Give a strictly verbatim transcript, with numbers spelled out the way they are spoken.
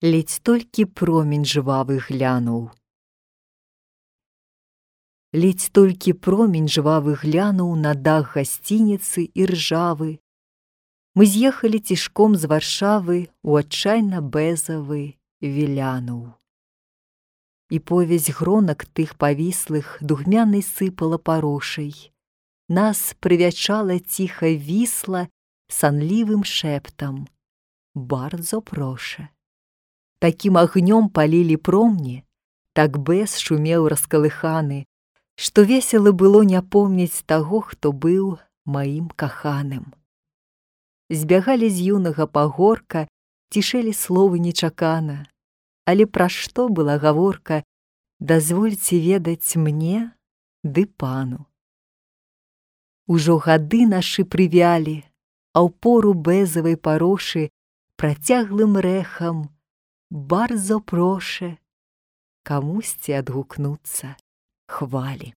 Ледзь толькі промень жвавы глянуў. Ледзь толькі промень жвавы глянуў на дах гасцініцы іржавы. Мы з'ехалі цішком з Варшавы у адчайна бэзавы вілянуў. І повязь гронак тых павіслых дугмянай сыпала парошай. Нас прывячала ціха вісла санлівым шэптам: «Бардзо проша». Такім агнём палілі промні, так бэз шумеў раскалыханы, што весела было не помніць таго, хто быў маім каханым. Збягалі з юнага пагорка, цішэлі словы нечакана. Але пра што была гаворка, дазвольце ведаць мне ды пану. Ужо гады нашы прывялі, а ў пору бэзавай парошы працяглым рэхам «Бардзо проша» камусьці адгукнуцца хвалі.